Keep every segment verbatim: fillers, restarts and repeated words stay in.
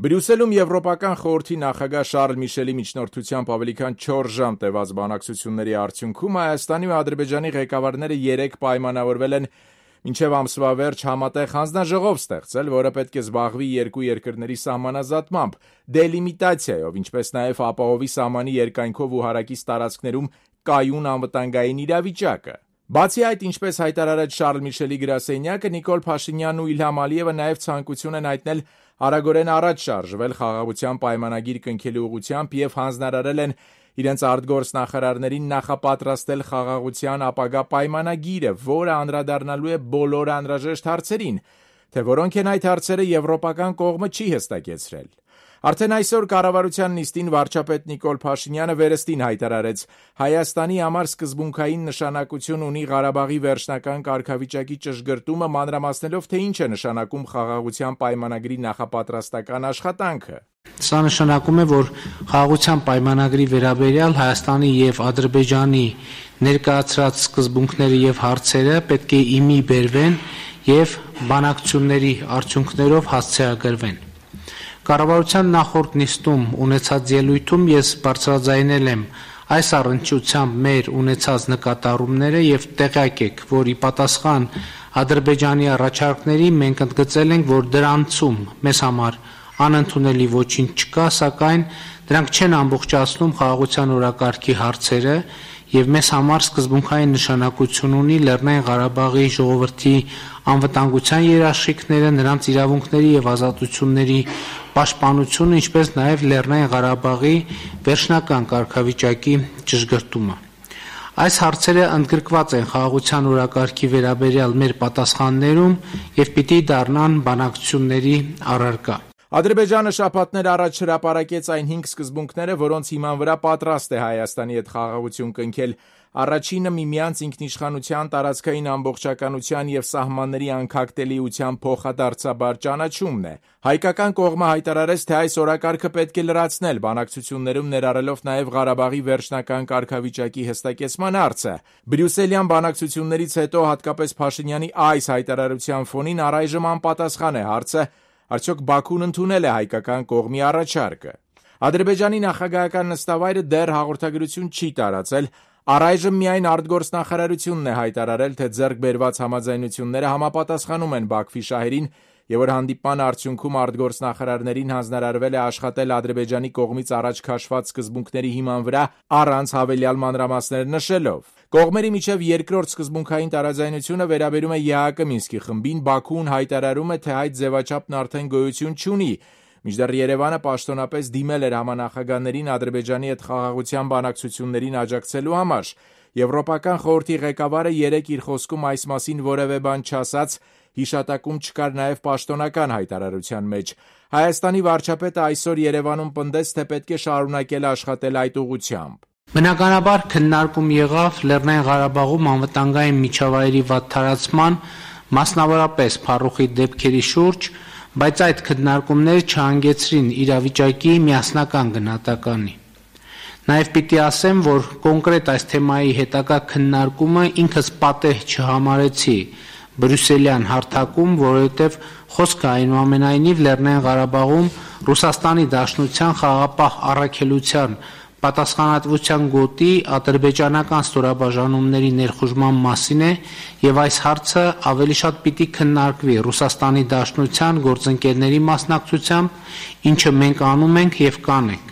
Բրյուսելում Եվրոպական խորհրդի նախագահ Շարլ Միշելի միջնորդությամբ ավելի քան չորս ժամ տևած բանակցությունների արդյունքում Հայաստանի ու Ադրբեջանի ղեկավարները երեկ պայմանավորվել են մինչև ամսվա վերջ համատեղ հանձնաժողով ստեղծել, որը պետք է զբաղվի երկու երկրների սահմանազատմամբ, դելիմիտացիայով, ինչպես նաև ապահովի սահմանի երկայնքով ու հարակից տարածքներում կայուն անվտանգային իրավիճակը։ Բացի այդ, ինչպես հայտարարեց Շարլ Միշելի գրասենյակը, Նիկոլ Փաշինյանն ու Իլհամ Ալիևը նաև ցանկություն են հայտնել արագորեն առաջ շարժվել խաղաղության պայմանագիր կնքելու ուղղությամբ եւ հանձնարարել են իրենց արտգործնախարարներին նախապատրաստել խաղաղության ապագա պայմանագիրը, որը անդրադառնալու է բոլոր անհրաժեշտ հարցերին, թե որոնք են այդ հարցերը եվրոպական կողմը չի հստակեցրել։ Արդեն այսօր կառավարության նիստին վարչապետ Նիկոլ Փաշինյանը վերստին հայտարարեց. Հայաստանի համար սկզբունքային նշանակություն ունի Ղարաբաղի վերջնական կարգավիճակի ճշգրտումը, մանրամասնելով, թե ինչ է նշանակում խաղաղության պայմանագրի նախապատրաստական աշխատանքը։ Սա նշանակում է, որ խաղաղության պայմանագրի վերաբերյալ Հայաստանի եւ Ադրբեջանի ներկայացրած սկզբունքները եւ հարցերը պետք է իմի բերվեն եւ բանակցությունների արդյունքներով հասցեագրվեն։ Կառավարության նախորդ նիստում ունեցած ելույթում ես բարձրաձայնել եմ այս առնչությամբ մեր ունեցած նկատառումները եւ տեղյակ եք, որ ի պատասխան Ադրբեջանի առաջարկների մենք ընդգծել ենք, որ դրանցում մեզ համար անընդունելի ոչինչ չկա, սակայն դրանք չեն ամբողջացնում խաղաղության օրակարգի հարցերը եւ մեզ համար սկզբունքային նշանակություն ունի Լեռնային Ղարաբաղի ժողովրդի անվտանգության երաշխիքները, նրանց իրավունքների եւ ազատությունների պաշտպանությունը, ինչպես նաեւ Լեռնային Ղարաբաղի վերջնական կարգավիճակի ճշգրտումը։ Այս հարցերը ընդգրկված են խաղաղության օրակարգի վերաբերյալ մեր պատասխաններում եւ պիտի դառնան բանակցությունների առարկա։ Ադրբեջանը շաբաթներ առաջ հրապարակեց այն հինգ սկզբունքները, որոնց հիման վրա պատրաստ է Հայաստանի հետ խաղաղություն կնքել։ Առաջինը միմյանց ինքնիշխանության, տարածքային ամբողջականության եւ սահմանների անկախտելիության փոխադարձաբար ճանաչումն է։ Հայկական կողմը հայտարարեց, թե այս օրակարգը պետք է լրացնել, բանակցություններում ներառելով նաեւ Ղարաբաղի վերջնական կարգավիճակի հստակեցման հարցը։ Բրյուսելյան բանակցություններից հետո հատկապես Փաշինյանի այս հայտարարության ֆոնին առայժմ անպատասխան է հարցը, արդյոք Բաքուն ընդունել է հայկական կողմի առաջարկը։ Ադրբեջանի նախագահական նստավայրը դեռ հաղորդագրություն չի տարածել, առայժմ միայն արտգործնախարարությունն է հայտարարել, թե ձեռք բերված համաձայնությունները համապատասխանում են Բաքվի շահերին եւ որ հանդիպման արդյունքում արտգործնախարարներին հանձնարարվել է աշխատել Ադրբեջանի կողմից առաջ քաշված սկզբունքների հիման վրա առանց հավելյալ մանրամասներ նշելով։ Կողմերի միջև երկրորդ սկզբունքային տարաձայնությունը վերաբերում է ԵԱՀԿ Մինսկի խմբին, Բաքուն հայտարարում է, թե այդ ձևաչափն արդեն գոյություն չունի, մինչդեռ Երևանը պաշտոնապես դիմել էր համանախագահներին Ադրբեջանի հետ խաղաղության բանակցություններին աջակցելու համար։ Եվրոպական խորհրդի ղեկավարը երեկ իր խոսքում այս մասին որևէ բան չասաց, հիշատակում չկար նաև պաշտոնական հայտարարության մեջ։ Հայաստանի վարչապետը այսօր Երևանում պնդեց, թե պետք է շարունակել աշխատել այդ ուղղությամբ։ Բնականաբար քննարկում եղավ Լեռնային Ղարաբաղում անվտանգային միջավայրի վատթարացման, մասնավորապես փառուխի դեպքերի շուրջ, բայց այդ քննարկումները չհանգեցրին իրավիճակի միասնական գնահատականի։ Նաև պիտի ասեմ, որ կոնկրետ այս թեմայի հետագա քննարկումը ինքս պատեհ չհամարեցի բրյուսելյան հարթակում, որովհետև խոսքը այնուամենայնիվ Լեռնային Ղարաբաղում Ռուսաստանի Դաշնության խաղաղապահ առաքելության պատասխանատվության գոտի ադրբեջանական ստորաբաժանումների ներխուժման մասին է եւ այս հարցը ավելի շատ պիտի քննարկվի Ռուսաստանի Դաշնության գործընկերների մասնակցությամբ, ինչը մենք անում ենք եւ կանենք։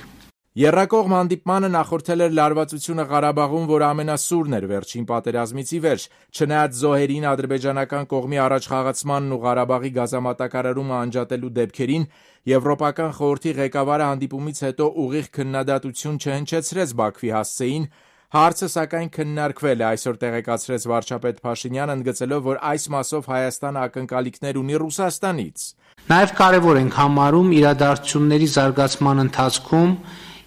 Եռակողմ հանդիպմանը նախորդել էր լարվածությունը Ղարաբաղում, որ ամենասուրն էր վերջին պատերազմից ի վեր, չնայած զոհերին, ադրբեջանական կողմի առաջխաղացմանն ու Ղարաբաղի գազամատակարարումը անջատելու դեպքերին, Եվրոպական խորհրդի ղեկավարը հանդիպումից հետո ուղիղ քննադատություն չհնչեցրեց Բաքվի հասցեին, հարցը սակայն քննարկվել է, այսօր տեղեկացրեց վարչապետ Փաշինյանը, ընդգծելով, որ այս մասով Հայաստանը ակնկալիքներ ունի Ռուսաստանից։ Նաև կարևոր ենք համարում իրադարձությունների զարգացման ընթացքում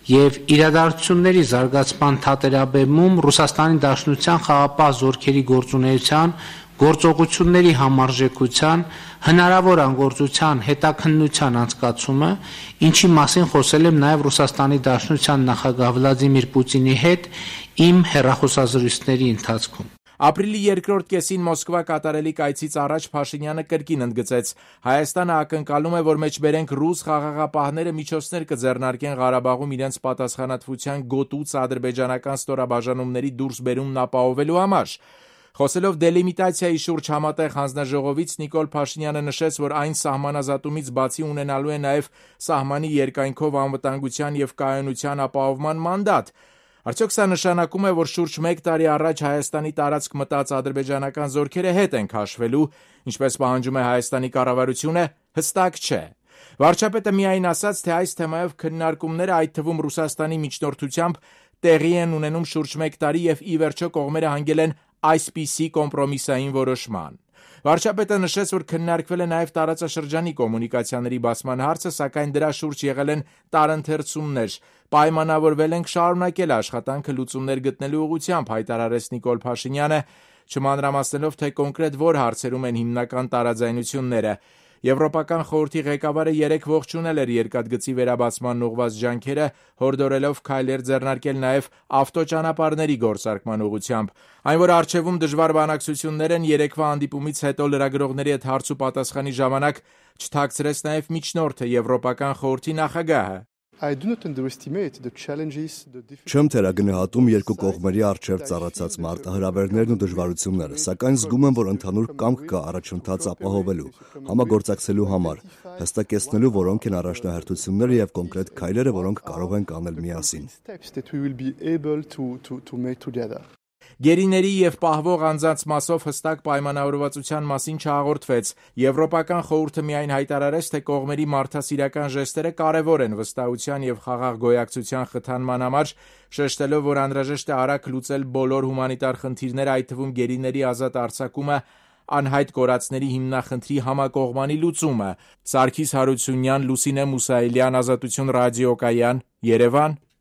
եւ իրադարձությունների զարգացման թատերաբեմում Ռուսաստանի Դաշնության խաղաղապահ զորքերի գործունեության, գործողությունների համարժեքության, հնարավոր անգործության հետաքննության անցկացումը, ինչի մասին խոսել եմ նաև Ռուսաստանի Դաշնության նախագահ Վլադիմիր Պուտինի հետ իմ հեռախոսազրույցների ընթացքում։ Ապրիլի երկրորդ կեսին Մոսկվա կատարելիք այցից առաջ Փաշինյանը կրկին ընդգծեց. Հայաստանը ակնկալում է, որ մեջբերենք ռուս խաղաղապահները միջոցներ կձեռնարկեն Ղարաբաղում իրենց պատասխանատվության գոտուց ադրբեջանական ստորաբաժանումների դուրսբերումն ապահովելու համար։ Խոսելով դելիմիտացիայի շուրջ համատեղ հանձնաժողովից Նիկոլ Փաշինյանը նշեց, որ այն սահմանազատումից բացի ունենալու է նաև սահմանի երկայնքով անվտանգության և կայունության ապահովման մանդատ։ Արդյոք սա նշանակում է, որ շուրջ մեկ տարի առաջ Հայաստանի տարածք մտած ադրբեջանական զորքերը հետ են քաշվելու, ինչպես պահանջում է Հայաստանի կառավարությունը, հստակ չէ։ Վարչապետը միայն ասաց, թե այս թեմայով քննարկումները, այդ թվում Ռուսաստանի միջնորդությամբ, տեղի են ունենում շուրջ մեկ տարի և ի վերջո կողմերը հանգել են այսպիսի կոմպրոմիսային որոշման։ Վարչապետը նշեց, որ քննարկվել է նաև տարածաշրջանի կոմունիկացիաների բացման հարցը, սակայն դրա շուրջ եղել են տարընթերցումներ, պայմանավորվել ենք շարունակել աշխատանքը լուծումներ գտնելու ուղղությամբ, հայտարարեց Նիկոլ Փաշինյանը, չմանրամասնելով, թե կոնկրետ որ հարցերում են հիմնական տարաձայնությունները։ Եվրոպական խորհրդի ղեկավարը երեկ ողջունել էր երկաթգծի վերաբացմանն ուղղված ջանքերը, հորդորելով քայլեր ձեռնարկել նաև ավտոճանապարհների գործարկման ուղղությամբ։ Այն, որ առջևում դժվար բանակցություններ են, երեկվա հանդիպումից հետո լրագրողների հետ հարց ու պատասխանի ժամանակ չթաքցրեց նաև միջնորդը, Եվրոպական խորհրդի նախագահը։ Չեմ թերագնահատում երկու կողմերի առջև ծառացած մարտահրավերներն ու դժվարությունները, սակայն զգում եմ, որ ընդհանուր կամք կա առաջընթաց ապահովելու, համագործակցելու համար, հստակեցնելու որոնք են առաջնահերթությունները և կոնկրետ քայլերը, որոնք կարող ենք անել միասին։ Գերիների և պահվող անձանց մասով հստակ պայմանավորվածության մասին չհաղորդվեց։ Եվրոպական խորհուրդը միայն հայտարարեց, թե կողմերի մարդասիրական ժեստերը կարևոր են վստահության և խաղաղ գոյակցության խթանման համար, շեշտելով, որ անհրաժեշտ է արագ լուծել բոլոր հումանիտար խնդիրները, այդ թվում գերիների ազատ արձակումը, անհայտ կորածների հիմնախնդրի համակողմանի լուծումը։ Սարգիս Հարությունյան, Լուսինե Մուսայելյան, Ազատություն ռադիոկայան, Երևան։